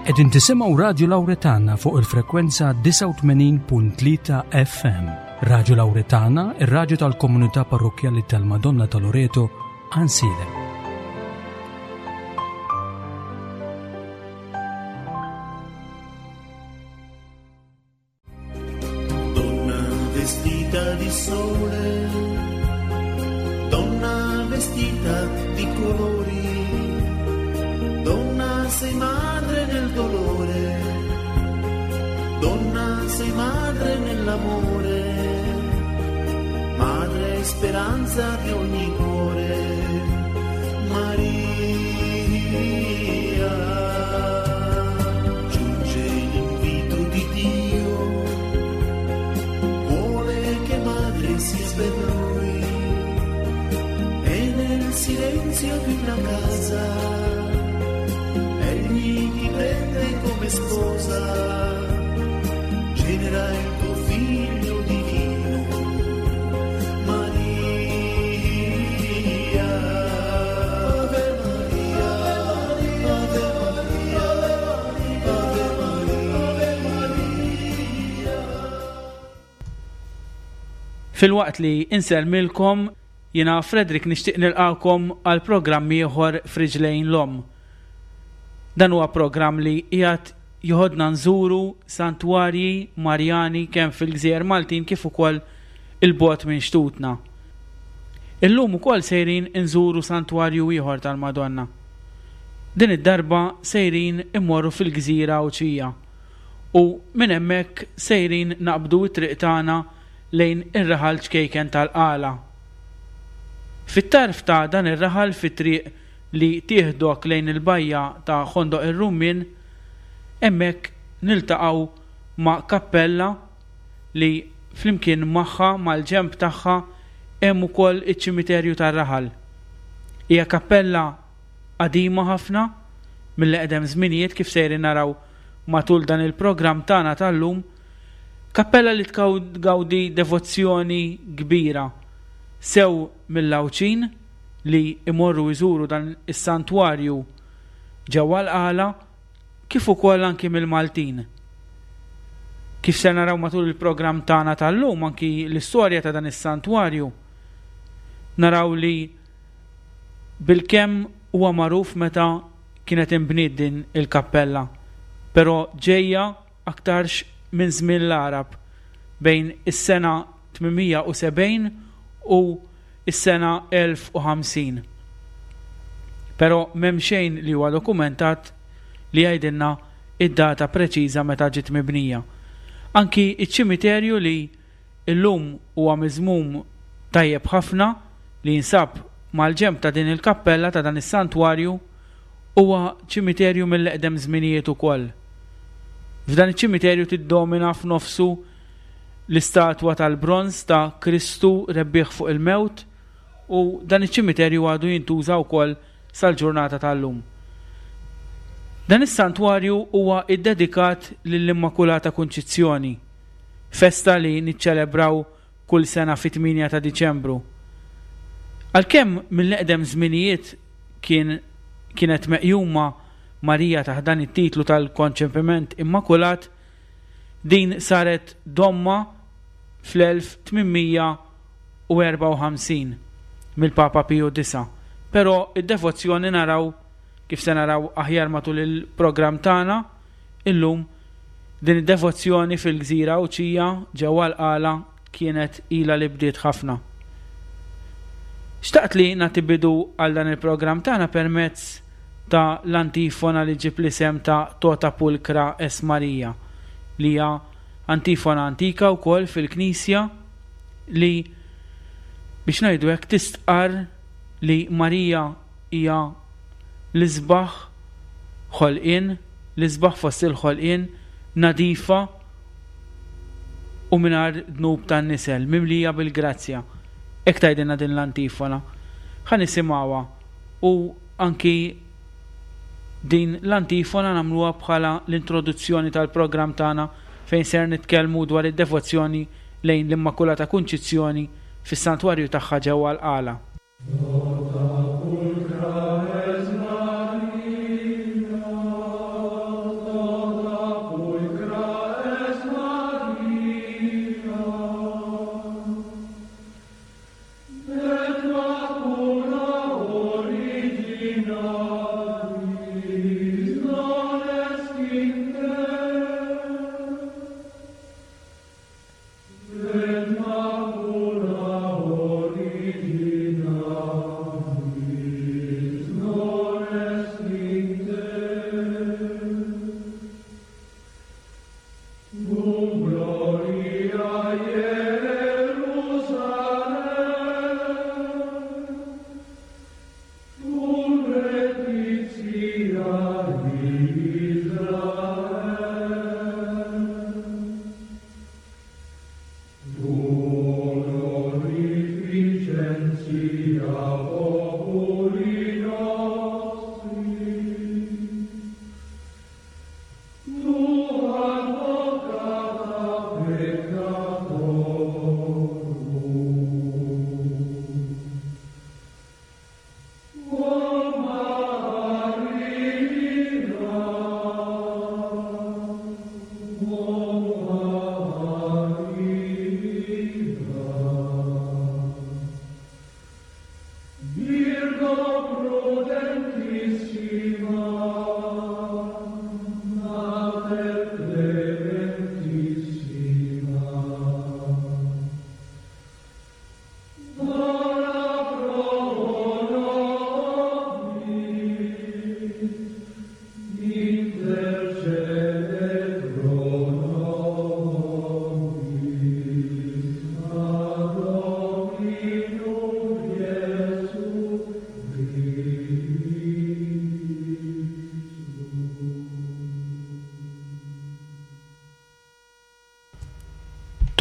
Qegħdin tisimgħu Radju Lawretana fuq il-frekwenza 89.3 FM. Radju Lawretana, ir-radju tal-komunità parrokkjali tal-Madonna ta' Loreto, Għansielem. Donna vestita di sole, donna vestita di colori, donna sei madre nel dolore, donna sei madre nell'amore, madre e speranza di ogni cuore, Maria. Giunge l'invito di Dio, vuole che madre sia per lui e nel silenzio di una casa egli ti prende come sposa, genera il tuo figlio divino, Maria. Ave Maria, Ave Maria, Ave Maria, Ave Maria. Filwaqt li insellmilkom, jiena Frederick nixtieq nilqagħkom għal programm ieħor f'Riġlejn l-Omm. Dan huwa programm li qiegħed joħodna nżuru santwarji Marjani kemm fil-gżejjer Maltin kif ukoll 'il bogħod minn xtutna. Illum ukoll sejrin inżuru santwarju ieħor tal-Madonna. Din id-darba sejrin immorru fil-gżira Għawdxija u minn hemmhekk sejrin naqbdu t-triq tagħna lejn ir-raħal ċkejken tal-Qala. Fit-tarf ta' dan ir-raħal fit-triq li tieħdok lejn il-bajja ta' Ħondoq ir-Rummien, hemmhekk niltaqgħu ma' kappella li flimkien magħha mal-ġenb tagħha hemm ukoll iċ-ċimiterju tar-raħal. Hija kappella qadima ħafna, mill-eqdem żminijiet kif sejrin naraw matul dan il-programm tagħna tal-lum, kappella li tgawdi devozzjoni kbira sew mill-Għawdxin li jmorru jżuru dan is-santwarju ġewwa l-Qala kif ukoll anki mill-Maltin. Kif ser naraw matul il-programm tagħna tal-lum anki l-istorja ta' dan is-santwarju naraw li bilkemm huwa magħruf meta kienet inbniet din il-kappella, però ġejja aktarx minn żmien l-Għarab, bejn is-sena 870 u s-sena 1050. Però m'hemm xejn li huwa dokumentat li jgħidilna id-data preċiża meta ġiet mibnija. Anki ċ-ċimiterju li illum huwa miżmum tajjeb ħafna li jinsab mal-ġenb ta' din il-kappella ta' dan is-santwarju huwa ċimiterju mill-eqdem żminijiet ukoll. F'dan iċ-ċimiterju tiddomina f'nofsu l-istatwa tal-bronż ta' Kristu rebbieħ fuq il-mewt u dan iċ-ċimiterju għadu jintuża wkoll sal-ġurnata tal-lum. Dan is-santwarju huwa ddedikat lill-Immakulata Kunċizzjoni, festa li niċċelebraw kull sena fit-8 ta' Diċembru. Għalkemm mill-eqdem żminijiet kien kienet meqjuma Marija taħt dan it-titlu tal-Konċepiment Immakulat, din saret domma fl-1854 mill-Papa Piju Disa'. Però id-devozzjoni naraw, kif se naraw aħjar matul il-programm tagħna illum, Din id-devozzjoni fil-gżira Għawdxija ġewwa l-Qala kienet ilha li bdiet ħafna. Xtaqt li nagħti bidu għal dan il-programm tagħna permezz ta' l-antifona li ġġib l-isem ta' Tota Pulchra es Maria, li hija antifona antika wkoll fil-Knisja li biex ngħidu hekk tistqarr li Marija hija l-isbaħ ħolqien, l-isbaħ fost il-ħolqien, nadifa u mingħajr dnub tan-nisel, mimlija bil-grazzja. Hekk tgħidilna din l-antifona. Ħa nisimgħuha u anki din l-antifona nagħmluha bħala l-introduzzjoni tal-programm tagħna fejn ser nitkellmu dwar id-devozzjoni lejn l-Immakulata Kunċizzjoni fis-Santwarju tagħha ġewwa l-Qala.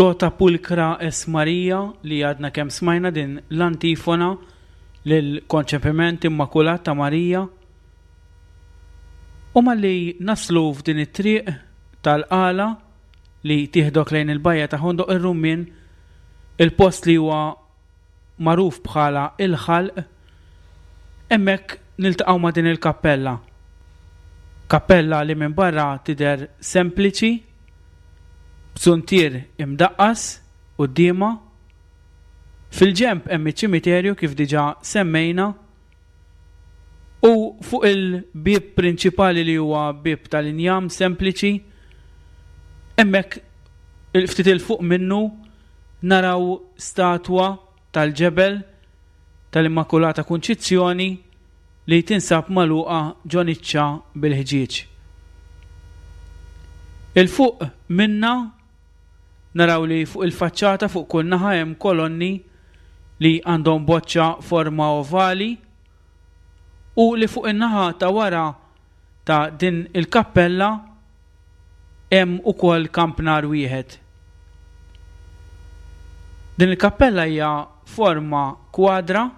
Tota Pulchra es Maria li għadna kemm smajna din l-antifona lill-Konċepiment Immakulat ta' Marija. U malli naslu f'din it-triq tal-Qala li tieħdok lejn il-bajja ta' Ħondoq ir-Rummien, il-post li huwa magħruf bħala il-Ħalq, hemmhekk niltaqgħu ma' din il-kappella. Kappella li minn barra tidher sempliċi, b'zuntier imdaqqas quddiemha. Fil-ġenb hemm iċ-ċimiterju kif diġà semmejna u fuq il-bieb prinċipali li huwa bieb tal-injam sempliċi, hemmhekk ftit 'il fuq minnu naraw statwa tal-ġebel tal-Immakulata Kunċizzjoni li tinsab magħluqa ġo niċċa bil-ħġieġ. Il fuq minnha naraw li fuq il-faċċata fuq kull naħa hemm kolonni li għandhom boċċa forma ovali u li fuq in-naħa ta' wara ta' din il-kappella hemm ukoll kampnar wieħed. Din il-kappella hija forma kwadra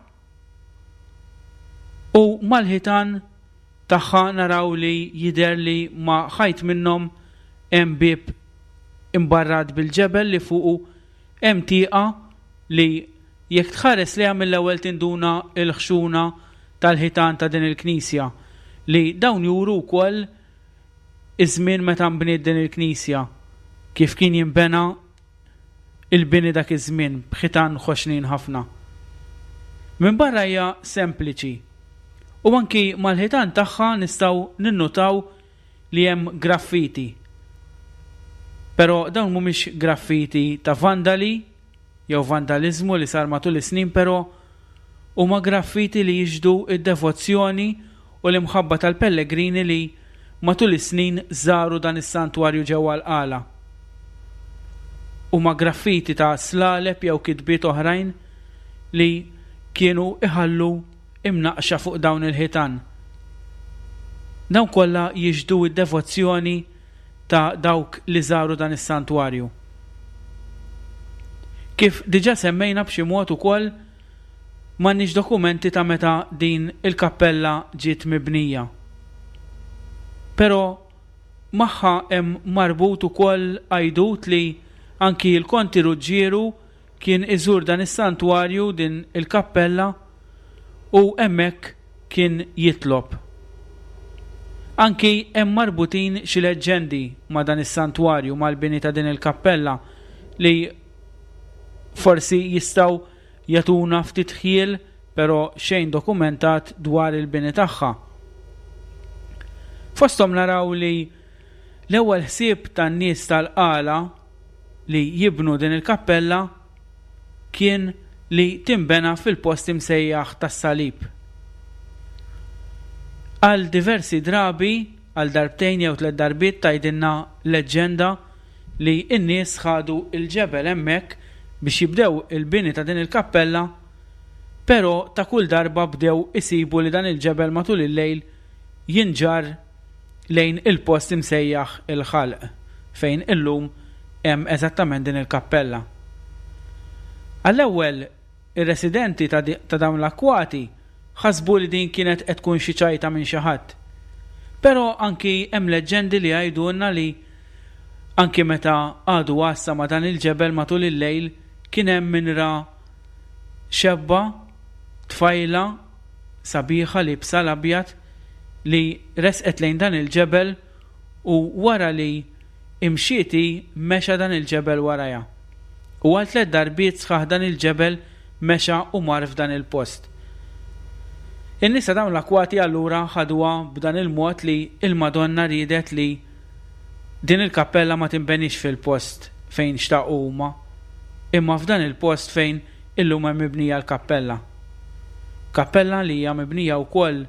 u mal-ħitan tagħha naraw li jidher li ma' ħajt minnhom hemm bieb imbarrat bil-ġebel li fuqu hemm tieqa li jekk tħares lejha mill-ewwel tinduna l-ħxuna tal-ħitan ta' din il-knisja li dawn juru wkoll iż-żmien meta nbniet din il-knisja, kif kien jinbena il-bini dak iż-żmien b'ħitan ħoxnin ħafna. Minn barra hija sempliċi u anki mal-ħitan tagħha nistgħu ninnutaw li hemm graffiti. Però dawn mhumiex graffiti ta' vandali jew vandaliżmu li sar matul is-snin però huma graffiti li jixhdu d-devozzjoni u l-imħabba tal-pellegrini li matul is-snin żaru dan is-santwarju ġewwa l-Qala. Huma graffiti ta' slaleb jew kitbiet oħrajn li kienu iħallu imnaqqxa fuq dawn il-ħitan. Dawn kollha jixhdu d-devozzjoni ta' dawk li żaru dan is-santwarju. Kif diġà semmejna b'xi mod ukoll m'għandniex dokumenti ta' meta din il-kappella ġiet mibnija. Però magħha hemm marbut ukoll għajdut li anki l-Konti Ruġġieru kien iżur dan is-santwarju, din il-kappella, u hemmhekk kien jitlob. Anki hemm marbutin xi leġġendi ma' dan is-santwarju, mal-bini ta' din il-kappella li forsi jistgħu jagħtuna ftit ħjiel però xejn dokumentat dwar il-bini tagħha. Fosthom naraw li l-ewwel ħsieb tan-nies tal-Qala li jibnu din il-kappella kien li tinbena fil-post imsejjaħ tas-Salib. Għal diversi drabi, għal darbtejn jew tlett darbiet tgħidilna leġġenda li n-nies ħadu l-ġebel hemmhekk biex jibdew il-bini ta' din il-kappella, però ta' kull darba bdew isibu li dan il-ġebel matul il-lejl jinġarr lejn il-post imsejjaħ il-Ħalq, fejn illum hemm eżattament din il-kappella. Għall-ewwel, ir-residenti ta' ta' dawn l-akkwati ħasbu li din kienet qed tkun xi ċajta minn xi ħadd. Però anki hemm leġġendi li jgħidulna li anki meta qagħdu għassa ma' dan il-ġebel matul il-lejl kien hemm min ra xebba, tfajla, sabiħa liebsa l-abjad li resqet lejn dan il-ġebel u wara li imxiet hi mexa dan il-ġebel warajha. U għal tlett darbiet sħaħ dan il-ġebel mexa u mar f'dan il-post. In-nies ta' dawn l-akwati allura ħaduha b'dan il-mod li l-Madonna riedet li din il-kappella ma tinbenix fil-post fejn xtaqu huma, imma f'dan il-post fejn illum hemm mibnija l-kappella. Kappella li hija mibnija wkoll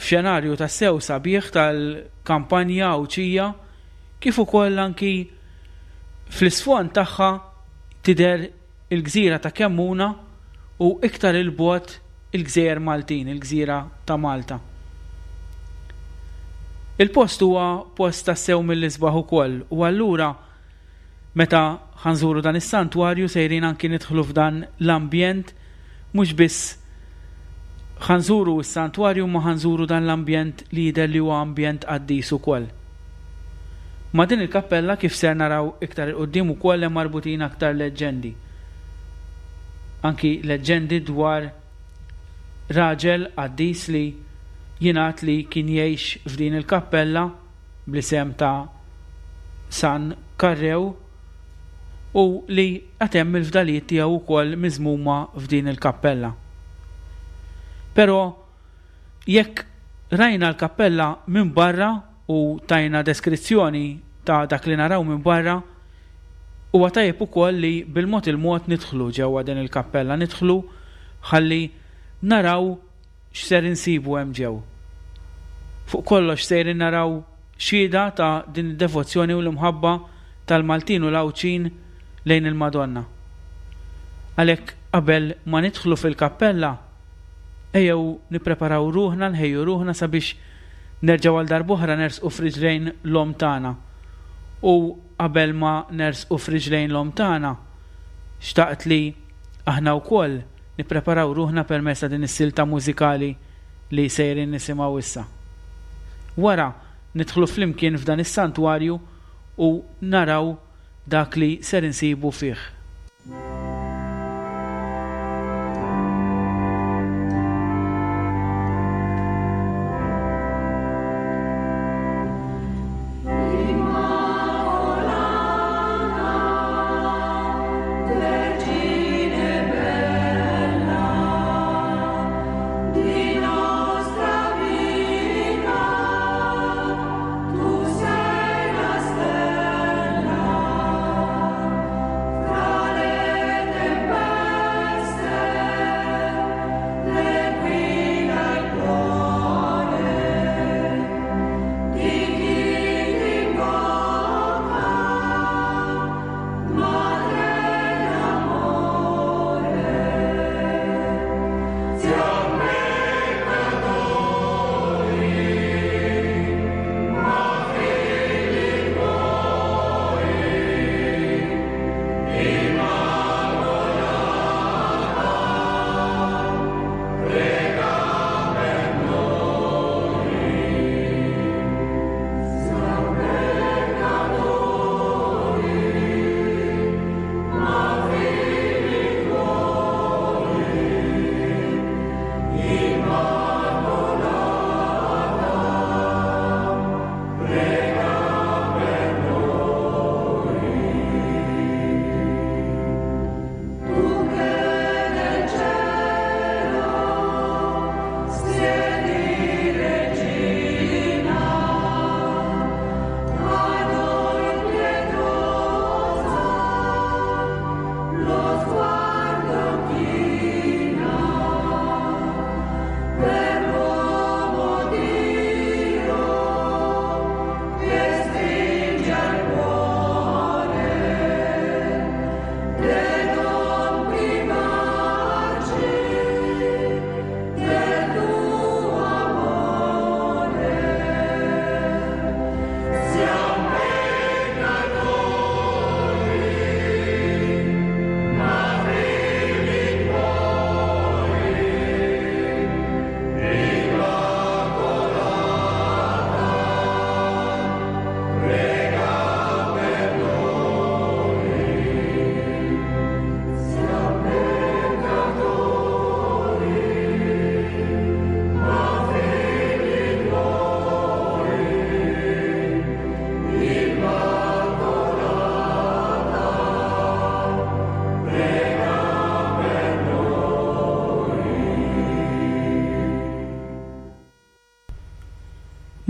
f'xenarju tassew sabiħ tal-kampanja Għawdxija kif ukoll anki fl-isfond tagħha tidher il-gżira ta' Kemmuna u iktar 'il bogħod il-gżejjer Maltin, il-gżira ta' Malta. Il-post huwa post tassew mill-isbaħ ukoll u allura meta ħa nżuru dan is-santwarju sejrin anki nidħlu f'dan l-ambjent mhux biss ħa nżuru s-santwarju imma ħa nżuru dan l-ambjent li jidher li huwa ambjent qaddis ukoll. Ma' din il-kappella kif ser naraw iktar 'il quddiem ukoll hemm marbutin aktar leġġendi. Anki leġġendi dwar raġel qaddis li jingħad li kien jgħix f'din il-kappella bl-isem ta' San Karrew u li għad hemm il-fdalijiet tiegħu wkoll miżmuma f'din il-kappella. Però jekk rajna l-kappella minn barra u tajna deskrizzjoni ta' dak li naraw minn barra, huwa tajjeb ukoll li bil-mod il-mod nidħlu ġewwa din il-kappella, nidħlu ħalli naraw x'ser insibu hemm ġew. Fuq kollox sejrin naraw xhieda ta' din id-devozzjoni u l-imħabba tal-Maltin u l-Għawdxin lejn il-Madonna. Għalhekk qabel ma nidħlu fil-kappella, ejjew nippreparaw ruħna, nħejju ruħna sabiex nerġgħu għal darb'oħra nersqu f'riġlejn l-Omm tagħna. U qabel ma nersqu f'riġlejn l-Omm tagħna, xtaqt li aħna wkoll nippreparaw ruħna permezz ta' din is-silta mużikali li sejrin nisimgħu issa. Wara nidħlu flimkien f'dan is-santwarju u naraw dak li ser insibu fih.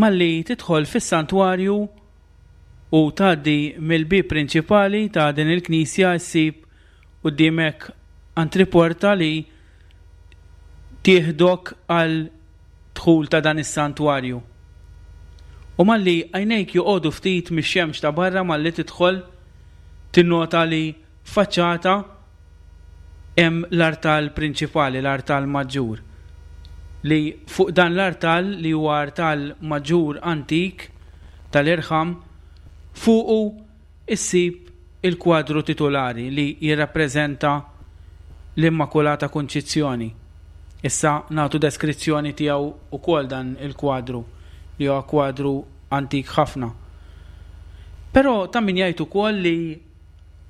Malli tidħol fis-santwarju u tgħaddi mill-bieb prinċipali ta' din il-knisja ssib quddiemek antriporta li tieħdok għal dħul ta' dan is-santwarju. U malli għajnejk joqogħdu ftit mix-xemx ta' barra malli tidħol tinnota li faċċata hemm l-artal prinċipali, l-artal maġġur, li fuq dan l-artal li huwa artal maġġur antik tal-irħam, fuqu issib il-kwadru titulari li jirrappreżenta l-Immakulata Kunċizzjoni. Issa nagħtu deskrizzjoni tiegħu wkoll dan il-kwadru li huwa kwadru antik ħafna. Però ta' min jgħid ukoll li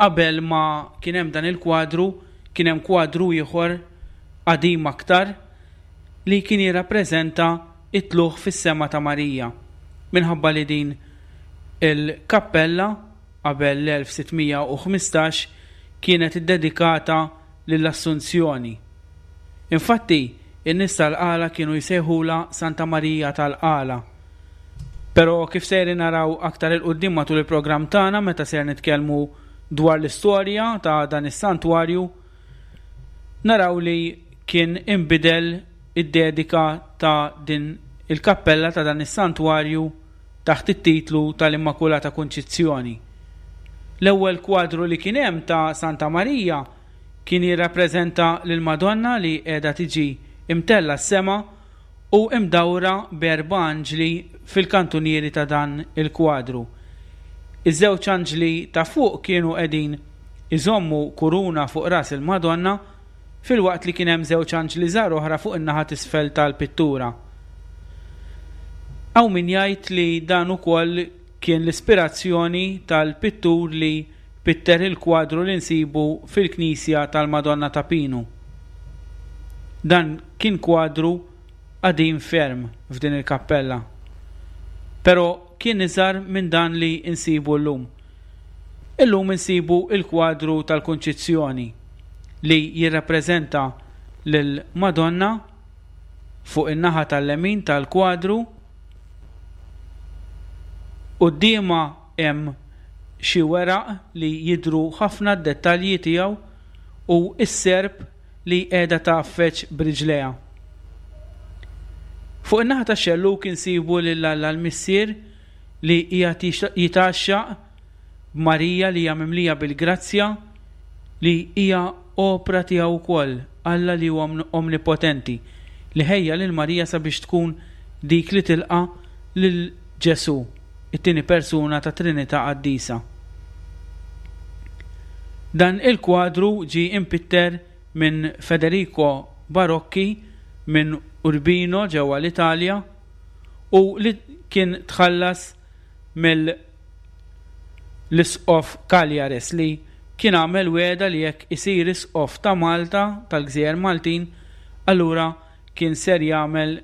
Qabel ma kien hemm dan il-kwadru, kien hemm kwadru ieħor qadim aktar li kien jirrappreżenta t-tlugħ fis-sema ta' Marija. Minħabba li din il-kappella qabel l-1615 kienet iddedikata lill-Assunzjoni. Infatti, in-nies tal-Qala kienu jsejħulha Santa Marija tal-Qala. Però kif sejrin naraw aktar 'il quddiem matul il-programm tagħna meta ser nitkellmu dwar l-istorja ta' dan is-santwarju, naraw li kien inbidel id-dedika ta' din il-kappella ta' dan is-santwarju taħt it-titlu tal-Immakulata Kunċizzjoni. L-ewwel kwadru li kien hemm ta' Santa Marija kien jirrappreżenta lill-Madonna li qiegħda tiġi imtellgħa s-sema u imdawra b'erba' anġli fil-kantunieri ta' dan il-kwadru. Iż-żewġ anġli ta' fuq kienu qegħdin iżommu kuruna fuq ras il-Madonna filwaqt li kien hemm żewġ anġli żgħar oħra fuq in-naħa t'isfel tal-pittura. Hawn min jgħid li dan ukoll kien l-ispirazzjoni tal-pittur li pitter il-kwadru li nsibu fil-knisja tal-Madonna ta' Pinu. Dan kien kwadru qadim ferm f'din il-kappella. Però kien iżgħar minn dan li nsibu llum. Illum insibu l-kwadru tal-Kunċizzjoni li jirrappreżenta lill-Madonna fuq in-naħa tal-lemin tal-kwadru. Quddiemha hemm xi weraq li jidhru ħafna d-dettalji tiegħu u s-serp li qiegħda tgħaffeġ b'riġlejha. Fuq in-naħa tax-xellug insibu lil Alla l-Missier li qiegħed jitgħaxxaq b'Marija li hija mimlija bil-grazzja li hija opra tiegħu wkoll, Alla li huwa omnipotenti, li ħejja lil Marija sabiex tkun dik li tilqa' lil Ġesù, it-tieni persuna tat-Trinità Qaddisa. Dan il-kwadru ġie impitter minn Federico Barocchi minn Urbino ġewwa l-Italja u li kien tħallas mill l-Isqof Cagliares li kien għamel wegħda li jekk isir Isqof ta' Malta, tal-Gżejjer Maltin, allura kien ser jagħmel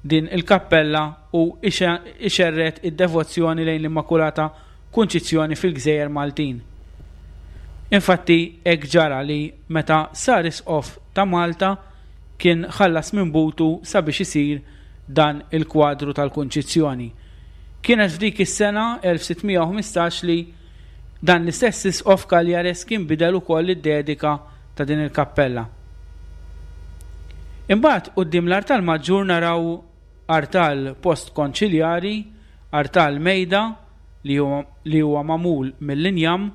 din il-kappella u ixerred id-devozzjoni lejn l-Immakulata Kunċizzjoni fil-Gżejjer Maltin. Infatti hekk ġara li meta sar Isqof ta' Malta kien ħallas minn butu sabiex isir dan il-kwadru tal-Kunċizzjoni. Kienet f'dik is-sena 1615 li dan l-istess Isqof Cagliares kien bidel ukoll id-dedika ta' din il-kappella. Imbagħad quddiem l-artal maġġur naraw artal post-konċiljari, artal mejda li huwa magħmul mill-injam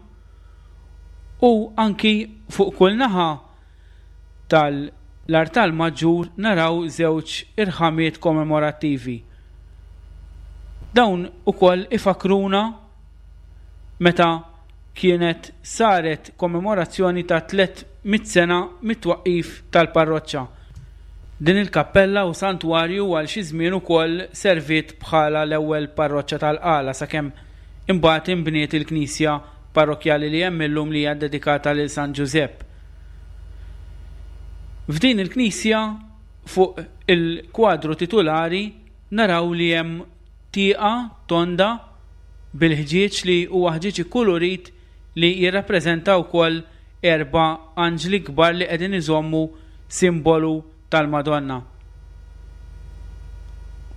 u anki fuq kull naħa tal-artal maġġur naraw żewġ irħamiet kommemorattivi. Dawn ukoll ifakkruna meta kienet saret kommemorazzjoni ta' 300 sena mit-twaqqif tal-parroċċa. Din il-kappella u santwarju għal xi żmien ukoll serviet bħala l-ewwel parroċċa tal-Qala sakemm imbagħad inbniet il-knisja parrokkjali li hemm illum li hija ddedikata lil San Ġużepp. F'din il-knisja fuq il-kwadru titulari naraw li hemm tieqa tonda bil-ħġieġ li huwa ħġieġ ikkulurit li jirrappreżenta wkoll erba' anġli kbar li qegħdin iżommu simbolu tal-Madonna.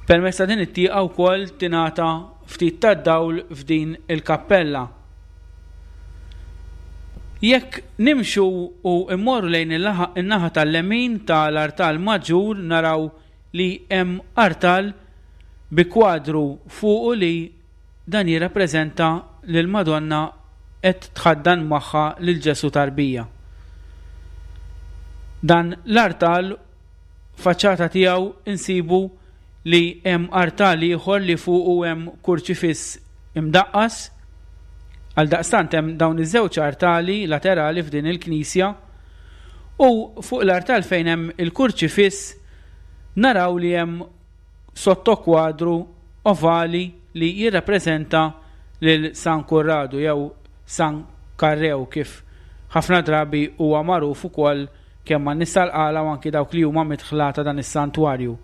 Permezz ta' din it-tieqa wkoll tingħata ftit tad-dawl f'din il-kappella. Jekk nimxu u mmorru lejn in-naħa tal-lemin ta' l-artal maġġur naraw li hemm artal bi kwadru fuqu li dan jirrappreżenta lill-Madonna qed tħaddan magħha lil Ġesù tarbija. Dan l-artal faċċata tiegħu nsibu li hemm artal ieħor li fuqu hemm kurċifiss imdaqqas. Għaldaqstant hemm dawn iż-żewġ artali laterali f'din il-knisja u fuq l-artal fejn hemm il-kurċifiss naraw li hemm sottokwadru ovali li jirrappreżenta lil San Kurradu jew San Karrew kif ħafna drabi huwa magħruf ukoll kemm man-nies tal-Qala u anki dawk li huma midħla ta' dan is-santwarju.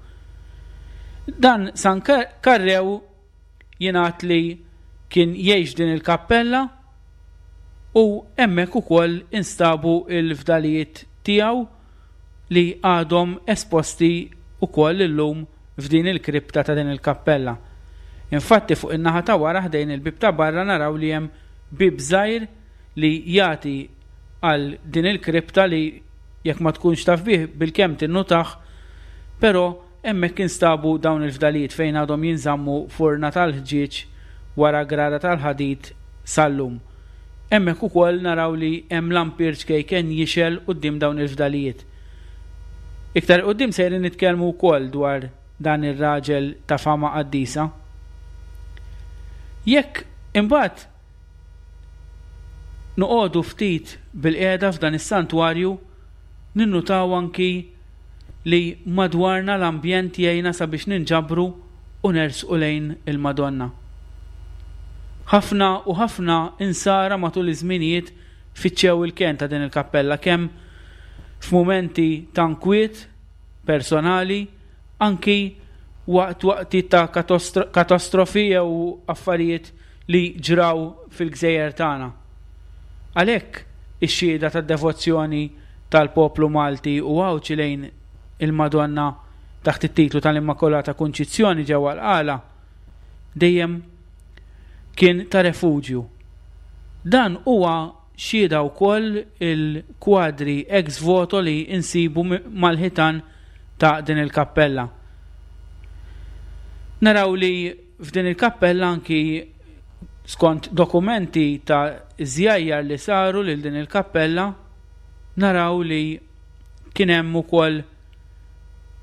Dan San Karrew jingħad li kien jgħix din il-kappella u hemmhekk ukoll instabu l-fdalijiet tiegħu li għadhom esposti wkoll illum f'din il-kripta ta' din il-kappella. Infatti fuq in-naħa ta' wara ħdejn il-bieb ta' barra naraw li hemm bieb żgħir li jagħti għal din il-kripta li jekk ma tkunx taf bih bilkemm tinnutah, però hemmhekk instabu dawn il-fdalijiet fejn għadhom jinżammu f'urna tal-ħġieġ wara grada tal-ħadid sal-lum. Hemmhekk ukoll naraw li hemm lampier ċkejken jixgħel quddiem dawn il-fdalijiet. Iktar 'il quddiem sejrin nitkellmu wkoll dwar dan ir-raġel ta' fama qaddisa. Jekk imbagħad Noqogħdu ftit bilqiegħda f'dan is-santwarju, ninnutaw anki li madwarna l-ambjent jgħinna sabiex ninġabru u nersqu lejn il-Madonna. Ħafna u ħafna Insara matul iż-żminijiet fittxew il-kenn ta' din il-kappella kemm f'mumenti ta' nkwiet personali, anki waqt waqtiet ta' katastrofi jew affarijiet li ġraw fil-gżejjer tagħna. Għalhekk, ix-xhieda tad-devozzjoni tal-poplu Malti u Għawdxi lejn il-Madonna taħt it-titlu tal-Immakulata Kunċizzjoni ġewwa l-Qala dejjem kien ta' refuġju. Dan huwa xhieda wkoll il-kwadri ex voto li nsibu mal-ħitan ta' din il-kappella. Naraw li F'din il-kappella anki skont dokumenti ta' żjajjar li saru lil din il-kappella naraw li kien hemm ukoll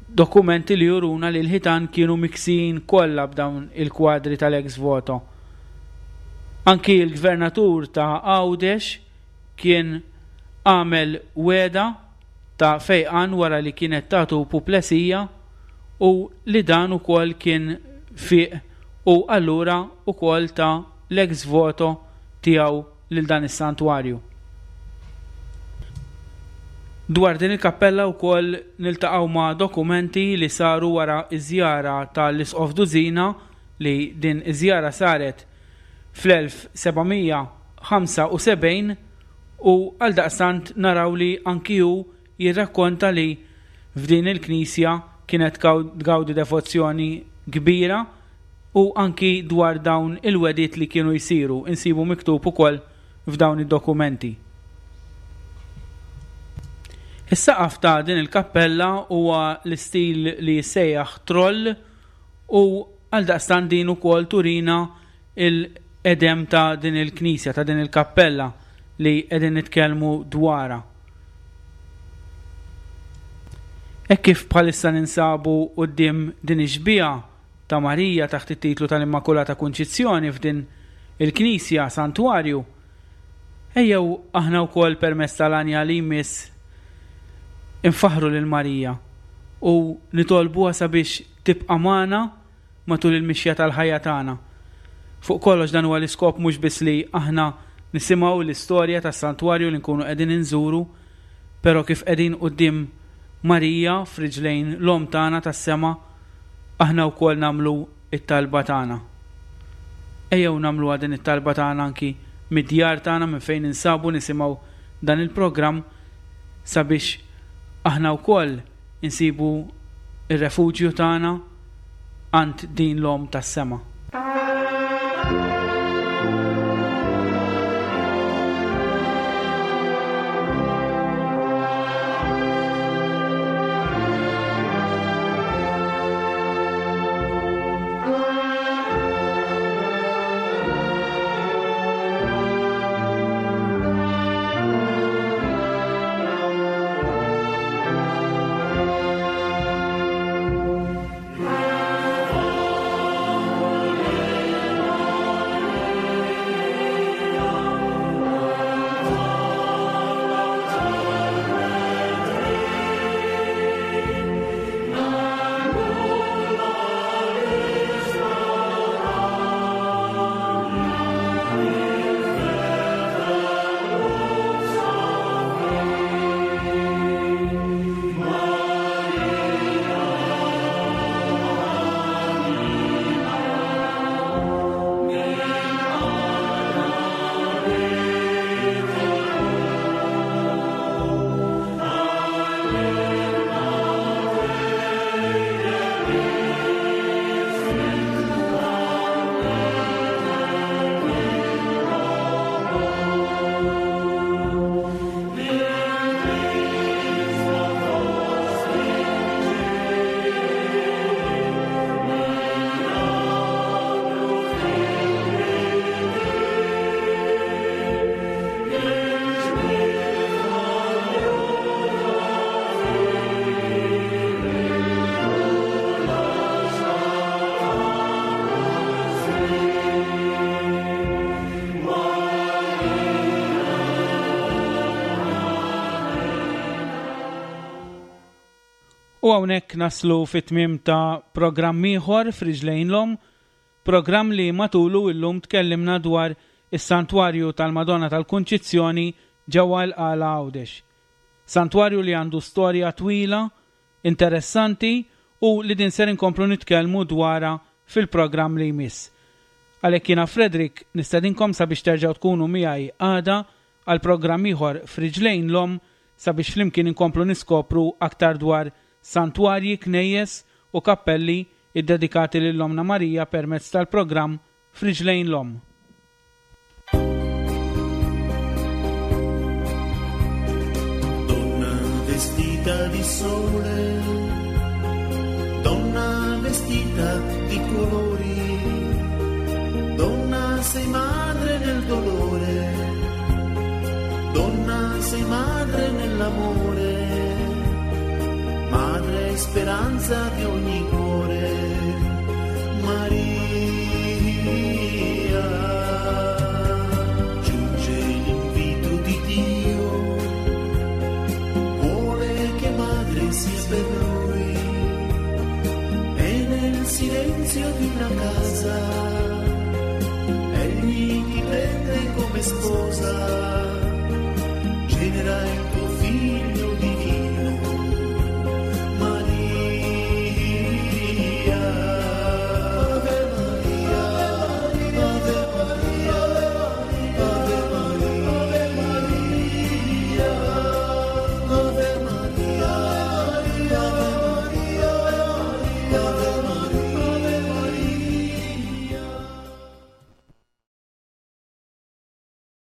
dokumenti li juruna li l-ħitan kienu miksijin kollha b'dawn il-kwadri tal-ex voto. Anki l-gvernatur ta' Għawdex kien għamel wegħda ta' fejqan wara li kienet tatu puplesija u li dan ukoll kien fieq u allura ukoll ta l-ex voto tiegħu lil dan is-santwarju. Dwar din il-kappella wkoll niltaqgħu ma' dokumenti li saru wara ż-żjara ta' l-Isqof Duzina li din iż-żjara saret fl-1775 U għaldaqstant naraw li anki hu jirrakkonta li f'din il-knisja kienet tgawdi devozzjoni kbira u anki dwar dawn il-wegħdiet li kienu jsiru insibu miktub ukoll f'dawn id-dokumenti. Is-saqaf ta' din il-kappella huwa l-istil li jissejjaħ troll u għaldaqstant din ukoll turina il-qedem ta' din il-knisja, ta' din il-kappella li qegħdin nitkellmu dwarha. Hekk kif bħalissa ninsabu quddiem din ix-xbieha ta' Marija taħt it-titlu tal-Immakulata Kunċizzjoni f'din il-knisja, santwarju, ejjew aħna wkoll permezz tal-għanja li jmiss infaħħru lil Marija u nitolbuha sabiex tibqa' magħna matul il-mixja tal-ħajja tagħna. Fuq kollox dan huwa l-iskop mhux biss li aħna nisimgħu l-istorja tas-santwarju li nkunu qegħdin inżuru, però kif qegħdin quddiem Marija f'riġlejn l-Omm tagħna tas-sema, aħna wkoll nagħmlu t-talba tagħna. Ejjew nagħmluha din it-talba tagħna anki mid-djar tagħna minn fejn ninsabu nisimgħu dan il-programm sabiex aħna wkoll insibu r-refuġju tagħna. għand din l-Omm tas-Sema. U hawnhekk naslu fit-tmiem ta' programm ieħor f'Riġlejn l-Omm, programm li matulu illum tkellimna dwar is-Santwarju tal-Madonna tal-Kunċizzjoni ġewwa l-Qala Għawdex. Santwarju li għandu storja twila, interessanti u li din ser inkomplu nitkellmu dwarha fil-programm li jmiss. Għalhekk jiena Frederick nistedinkom sabiex terġgħu tkunu miegħi għada għal programm ieħor f'Riġlejn l-Omm sabiex flimkien inkomplu niskopru aktar dwar santwarji, knejjes u kappelli ddedikati lil Ommna Marija permezz tal-programm F'Riġlejn l-Omm. Donna vestita di sole, donna vestita di colori, donna sei madre nel dolore, donna sei madre nell'amore, madre speranza di ogni cuore, Maria. Giunge l'invito di Dio, vuole che madre sia per lui, e nel silenzio di una casa, egli ti prende come sposa, genera il tuo figlio di